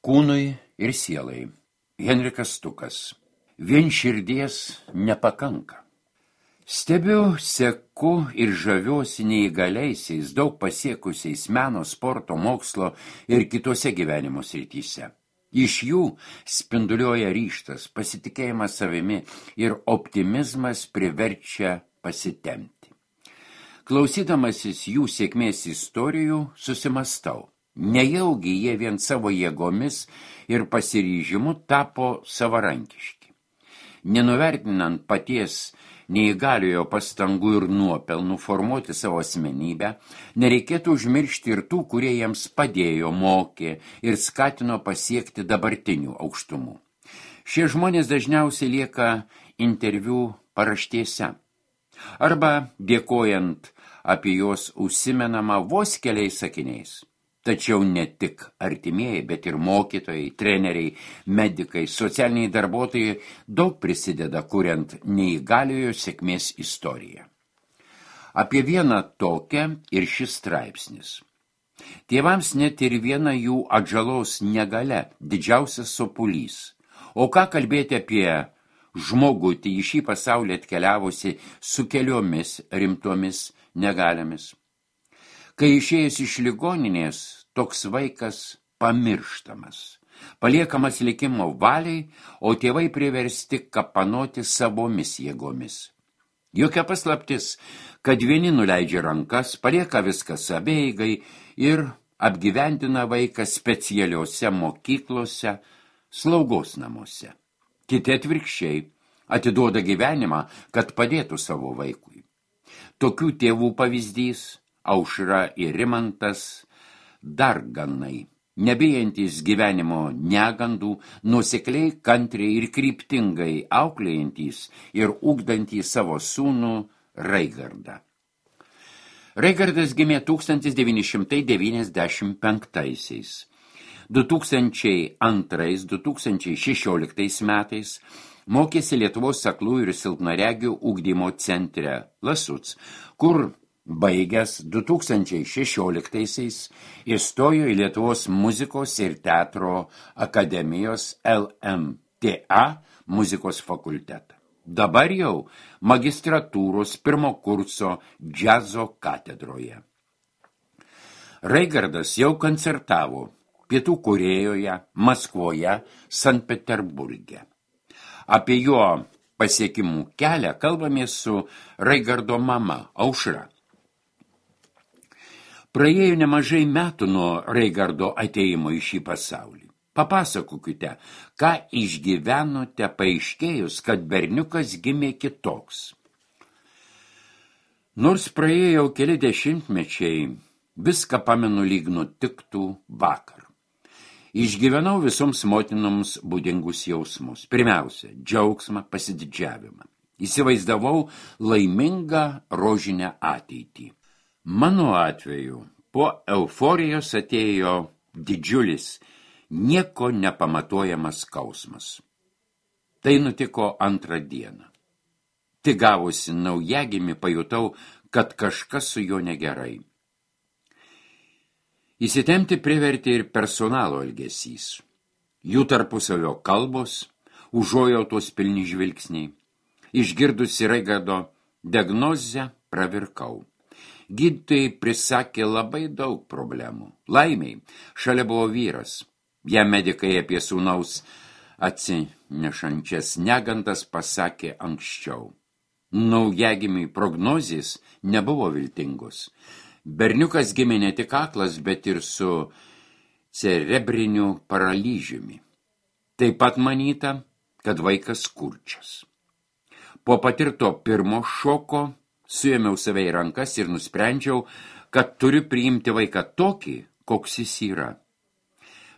Kūnui ir sielai. Henrikas Stukas. Vien širdies nepakanka. Stebiu, seku ir žaviuosi neįgaliaisiais, daug pasiekusiais meno, sporto, mokslo ir kitose gyvenimo srityse. Iš jų spinduliuoja ryžtas, pasitikėjimas savimi ir optimizmas priverčia pasitempti. Klausydamasis jų sėkmės istorijų susimastau. Nejaugi jie vien savo jėgomis ir pasiryžimu tapo savarankiški. Nenuvertinant paties neįgaliojo pastangų ir nuopelnų formuoti savo asmenybę, nereikėtų užmiršti ir tų, kurie jiems padėjo, mokė ir skatino pasiekti dabartinių aukštumų. Šie žmonės dažniausiai lieka interviu paraštėse. Arba dėkojant apie juos užsimenama vos keliais sakiniais. Tačiau ne tik artimieji, bet ir mokytojai, treneriai, medikai, socialiniai darbuotojai daug prisideda, kuriant neįgaliojo sėkmės istoriją. Apie vieną tokią ir šis straipsnis. Tėvams net ir viena jų atžalos negalia, didžiausias sopulys. O ką kalbėti apie žmogutį į šį pasaulį atkeliavusi su keliomis rimtomis negalėmis? Kai išėjęs iš ligoninės, toks vaikas pamirštamas, paliekamas likimo valiai, o tėvai priversti kapanoti savomis jėgomis. Jokia paslaptis, kad vieni nuleidžia rankas, palieka viską savieigai ir apgyvendina vaiką specialiuose mokyklose, slaugos namuose. Kiti atvirkščiai atiduoda gyvenimą, kad padėtų savo vaikui. Tokių tėvų pavyzdys Aušra ir Rimantas darganai, nebijantys gyvenimo negandų, nuosekliai, kantriai ir kryptingai auklėjantys ir ugdantys savo sūnų Raigardą. Raigardas gimė 1995-aisiais. 2002-2016 metais mokėsi Lietuvos aklųjų ir silpnaregių ugdymo centre Lasuc, kur baigęs 2016-aisiais įstojo į Lietuvos muzikos ir teatro akademijos LMTA muzikos fakultetą. Dabar jau magistratūros pirmo kurso džiazo katedroje. Raigardas jau koncertavo Pietų Korėjoje, Maskvoje, Sankt Peterburge. Apie jo pasiekimų kelią kalbamės su Raigardo mama Aušra. Praėjo nemažai metų nuo Raigardo ateimo į šį pasaulį. Papasakokite, ką išgyvenote paaiškėjus, kad berniukas gimė kitoks. Nors praėjo keli dešimtmečiai, viską pamenu lyg nutiktų vakar. Išgyvenau visoms motinoms būdingus jausmus. Pirmiausia, džiaugsmą, pasididžiavimą. Įsivaizdavau laimingą rožinę ateitį. Mano atveju po euforijos atėjo didžiulis, nieko nepamatuojamas skausmas. Tai nutiko antrą dieną. Tik gavusi naujagimį pajutau, kad kažkas su juo negerai. Įsitempti privertė ir personalo elgesys. Jų tarpusavio kalbos, užuojautos pilni žvilgsniai. Išgirdusi Raigardo diagnozę, pravirkau. Gydytojai prisakė labai daug problemų. Laimiai, šalia buvo vyras. Jam medikai apie sūnaus atsinešančias negandas pasakė anksčiau. Naujagimiui prognozės nebuvo viltingos. Berniukas gimė ne tik aklas, bet ir su cerebriniu paralyžiumi. Taip pat manyta, kad vaikas kurčias. Po patirto pirmo šoko suėmiau save į rankas ir nusprendžiau, kad turiu priimti vaiką tokį, koks jis yra.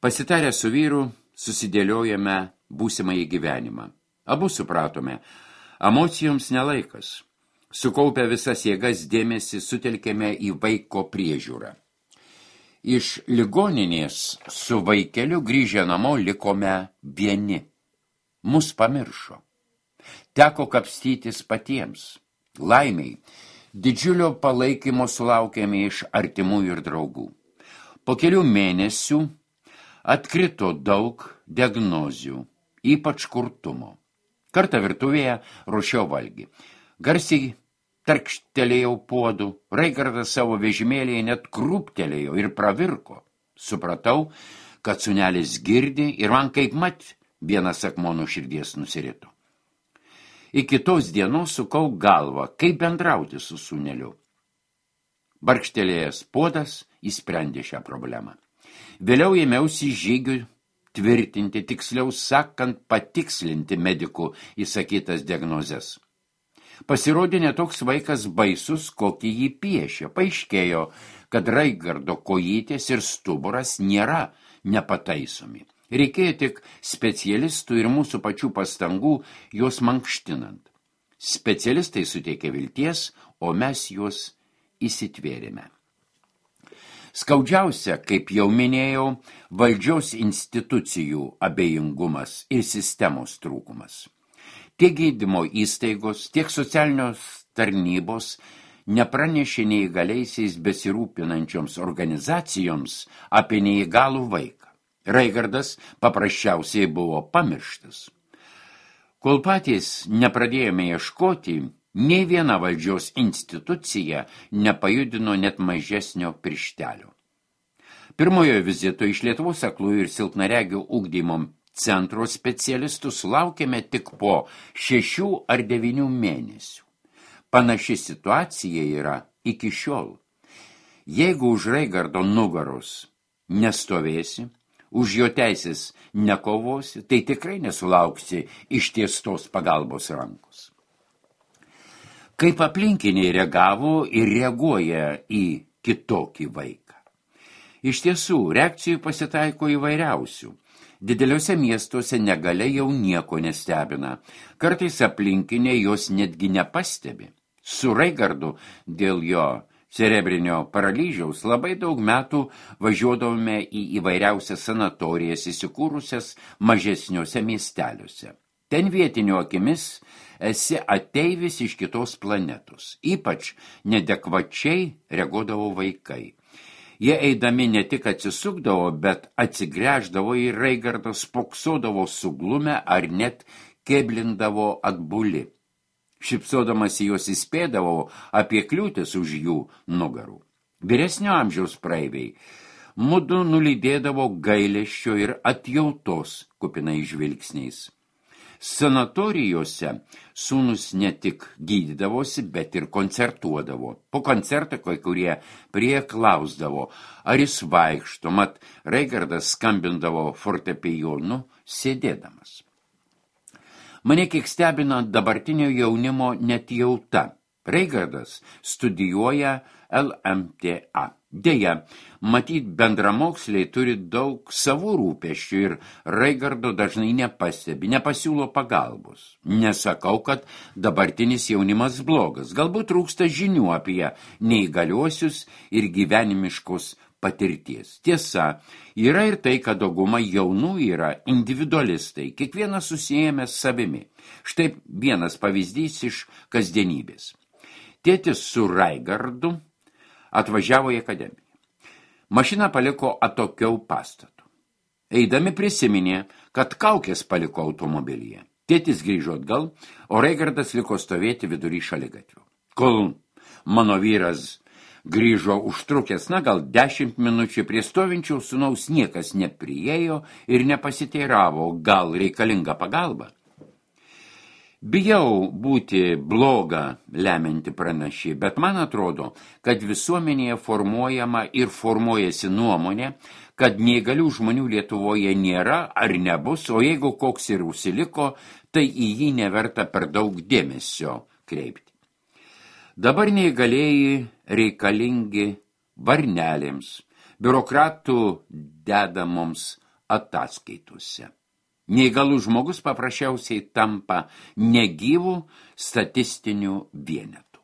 Pasitarę su vyru, susidėliojame būsimąjį gyvenimą. Abu supratome, emocijoms nelaikas. Sukaupę visas jėgas dėmesį sutelkėme į vaiko priežiūrą. Iš ligoninės su vaikeliu grįžę namo likome vieni. Mus pamiršo. Teko kapstytis patiems. Laimiai, didžiulio palaikymo sulaukėme iš artimųjų ir draugų. Po kelių mėnesių Atkrito daug diagnozių, ypač kurtumo. Kartą virtuvėje ruošiau valgį. Garsiai tarkštelėjau puodų, Raigardas savo vežimėlėje net krūptelėjo ir pravirko. Supratau, kad sūnelis girdi ir man kaip mat vienas akmuo nuo širdies nusirito. Iki tos dienos sukau galvą, kaip bendrauti su sūneliu. Barkštelėjęs puodas įsprendė šią problemą. Vėliau ėmiausi žygių tvirtinti, tiksliau sakant, patikslinti medikų įsakytas diagnozes. Pasirodė netoks vaikas baisus, kokį jį piešė. Paaiškėjo, kad Raigardo kojytės ir stuburas nėra nepataisomi. Reikėjo tik specialistų ir mūsų pačių pastangų juos mankštinant. Specialistai suteikė vilties, o mes juos įsitvėrėme. Skaudžiausia, kaip jau minėjau, valdžios institucijų abejingumas ir sistemos trūkumas. Tiek gydymo įstaigos, tiek socialinios tarnybos nepranešė neįgaliaisiais besirūpinančioms organizacijoms apie neįgalų vaiką. Raigardas paprasčiausiai buvo pamirštas. Kol patys nepradėjome ieškoti, nei viena valdžios institucija nepajudino net mažesnio pirštelio. Pirmojo vizito iš Lietuvos aklųjų ir silpnaregių ugdymo centro specialistų sulaukėme tik po 6 ar 9 mėnesių. Panaši situacija yra iki šiol. Jeigu už Raigardo nugaros nestovėsi, už jo teisės nekovosi, tai tikrai nesulauksi ištiestos pagalbos rankos. Kaip aplinkiniai reagavo ir reaguoja į kitokį vaiką. Iš tiesų, reakcijų pasitaiko įvairiausių. Dideliuose miestuose negalia jau nieko nestebina. Kartais aplinkiniai jos netgi nepastebi. Su Raigardu dėl jo cerebrinio paralyžiaus labai daug metų važiuodavome į įvairiausias sanatorijas įsikūrusias mažesniuose miesteliuose. Ten vietinių akimis esi ateivis iš kitos planetos. Ypač nedekvačiai reaguodavo vaikai. Jie eidami ne tik atsisukdavo, bet atsigręždavo į Raigardą, spoksodavo suglumę ar net keblindavo atbuli. Šipsodamas į juos įspėdavo apie kliūtis už jų nugarų. Vyresnio amžiaus praeiviai mudu nulydėdavo gailesčio ir atjautos kupinais žvilgsniais. Sanatorijose sūnus ne tik gydydavosi, bet ir koncertuodavo. Po koncerto kai kurie klausdavo, ar jis vaikšto, mat Raigardas skambindavo fortepijonu sėdėdamas. Mane kiek stebina dabartinio jaunimo netjauta. Raigardas studijuoja LMTA. Deja, matyt, bendramoksliai turi daug savų rūpesčių ir Raigardo dažnai nepastebi, nepasiūlo pagalbos. Nesakau, kad dabartinis jaunimas blogas. Galbūt trūksta žinių apie neįgaliuosius ir gyvenimiškos patirties. Tiesa, yra ir tai, kad dauguma jaunų yra individualistai, kiekvienas susijęs savimi. Štai vienas pavyzdys iš kasdienybės. Tėtis su Raigardu atvažiavo į akademiją. Mašiną paliko atokiau pastatu. Eidami prisiminė, kad kaukės paliko automobilyje. Tėtis grįžo atgal, o Raigardas liko stovėti vidury šaligatvio. Kol mano vyras grįžo užtrukęs, gal 10 minučių, prie stovinčių sūnaus niekas nepriėjo ir nepasiteiravo, gal reikalinga pagalba. Bijau būti bloga lemianti pranašė, bet man atrodo, kad visuomenėje formuojama ir formuojasi nuomonė, kad neįgalių žmonių Lietuvoje nėra ar nebus, o jeigu koks ir užsiliko, tai į jį neverta per daug dėmesio kreipti. Dabar neįgalieji reikalingi varnelėms, biurokratų dedamoms ataskaitose. Neįgalus žmogus paprasčiausiai tampa negyvų statistinių vienetų.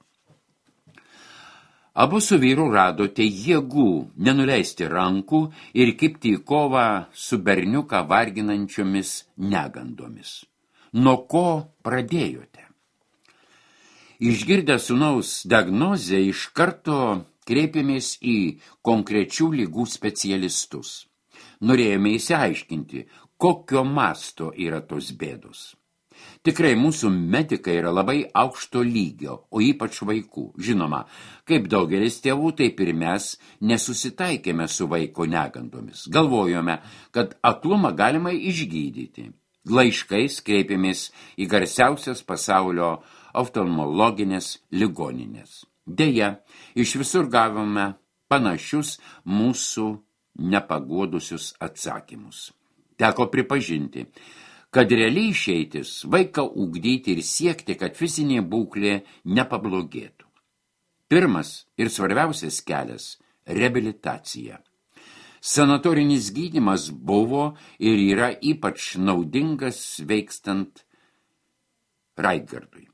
Abu su vyru radote jėgų nenuleisti rankų ir kibti į kovą su berniuką varginančiomis negandomis. Nuo ko pradėjote? Išgirdę sūnaus diagnozę, iš karto kreipėmės į konkrečių ligų specialistus. Norėjome įsiaiškinti, kokio masto yra tos bėdos. Tikrai mūsų medikai yra labai aukšto lygio, o ypač vaikų. Žinoma, kaip daugelis tėvų, taip ir mes nesusitaikėme su vaiko negandomis. Galvojome, kad aklumą galima išgydyti. Laiškais kreipėmės į garsiausias pasaulio oftalmologinės ligoninės. Deja, iš visur gavome panašius mūsų nepaguodusius atsakymus. Teko pripažinti, kad realiai išeitis vaiką ugdyti ir siekti, kad fizinė būklė nepablogėtų. Pirmas ir svarbiausias kelias – reabilitacija. Sanatorinis gydymas buvo ir yra ypač naudingas sveikstant Raigardui.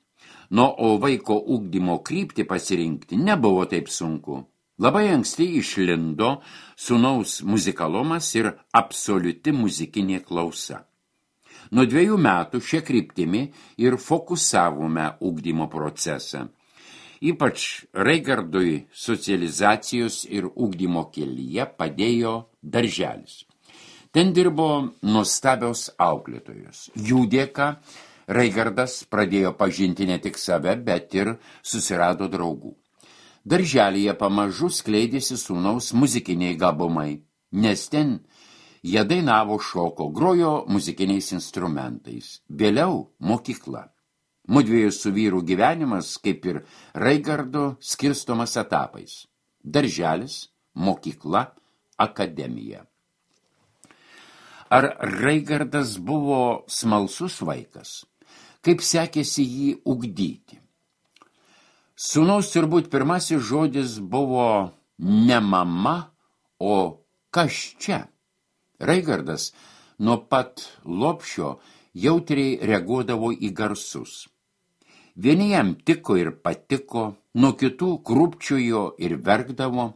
O vaiko ugdymo kryptį pasirinkti nebuvo taip sunku. Labai anksti išlindo sūnaus muzikalumas ir absoliuti muzikinė klausa. Nuo 2 metų šia kryptimi ir fokusavome ugdymo procesą. Ypač Raigardui socializacijos ir ugdymo kelyje padėjo darželis. Ten dirbo nuostabios auklėtojos. Jų dėka Raigardas pradėjo pažinti ne tik save, bet ir susirado draugų. Darželyje pamažu skleidėsi sūnaus muzikiniai gabumai, nes ten jie dainavo, šoko, grojo muzikiniais instrumentais. Vėliau mokykla. Mudviejų su vyru gyvenimas, kaip ir Raigardo, skirstomas etapais. Darželis, mokykla, akademija. Ar Raigardas buvo smalsus vaikas? Kaip sekėsi jį ugdyti? Sūnaus turbūt pirmasis žodis buvo ne mama, o kas čia? Raigardas nuo pat lopšio jautriai reaguodavo į garsus. Vieni jam tiko ir patiko, nuo kitų krūpčiojo ir verkdavo.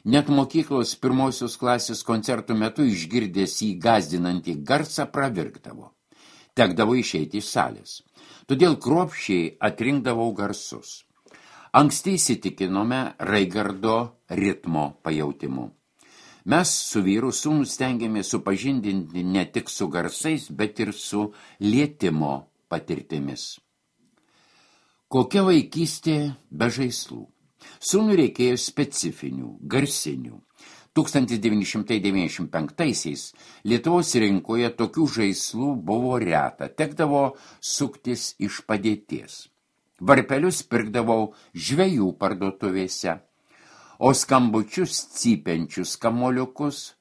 Net mokyklos 1 klasės koncertų metu išgirdęs jį gąsdinantį garsą pravirkdavo. Tekdavo išeiti iš salės. Todėl kruopščiai atrinkdavau garsus. Anksti įsitikinome Raigardo ritmo pajautimu. Mes su vyru sūnų stengiamės supažindinti ne tik su garsais, bet ir su lietimo patirtimis. Kokia vaikystė be žaislų? Sūnui reikėjo specifinių, garsinių. 1995-aisiais Lietuvos rinkoje tokių žaislų buvo reta, tekdavo suktis iš padėties. Varpelius pirkdavau žvejų parduotuvėse, o skambučius cypiančius kamoliukus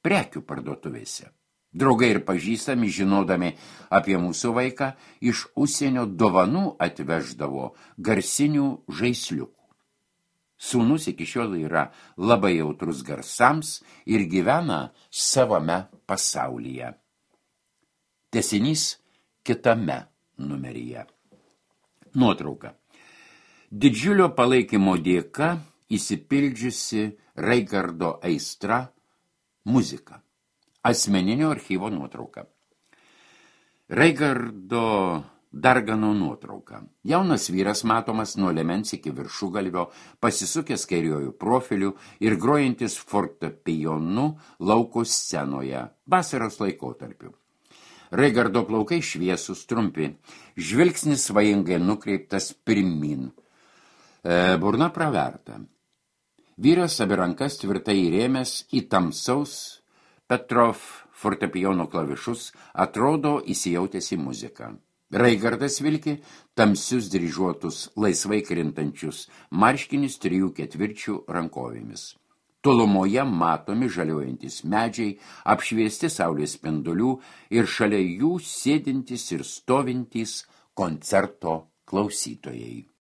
prekių parduotuvėse. Draugai ir pažįstami, žinodami apie mūsų vaiką, iš užsienio dovanų atveždavo garsinių žaisliukų. Sūnus iki šiol yra labai jautrus garsams ir gyvena savame pasaulyje. Tęsinys kitame numeryje. Nuotrauka. Didžiulio palaikymo dėka įsipildžiusi Raigardo aistra muzika. Asmeninio archyvo nuotrauka. Raigardo Dargano nuotrauka. Jaunas vyras matomas nuo liemens iki viršugalvio, pasisukęs kairiuoju profiliu ir grojantis fortepijonu lauko scenoje, vasaros laikotarpiu. Raigardo plaukai šviesūs, trumpi, žvilgsnis svajingai nukreiptas pirmin, burna praverta. Vyras abi rankas tvirtai įrėmęs į tamsaus Petrov fortepijono klavišus, atrodo įsijautęs į muziką. Raigardas vilki tamsius dryžuotus, laisvai krintančius marškinius 3/4 rankovėmis. Tolumoje matomi žaliuojantis medžiai, apšviesti saulės spindulių ir šalia jų sėdintys ir stovintys koncerto klausytojai.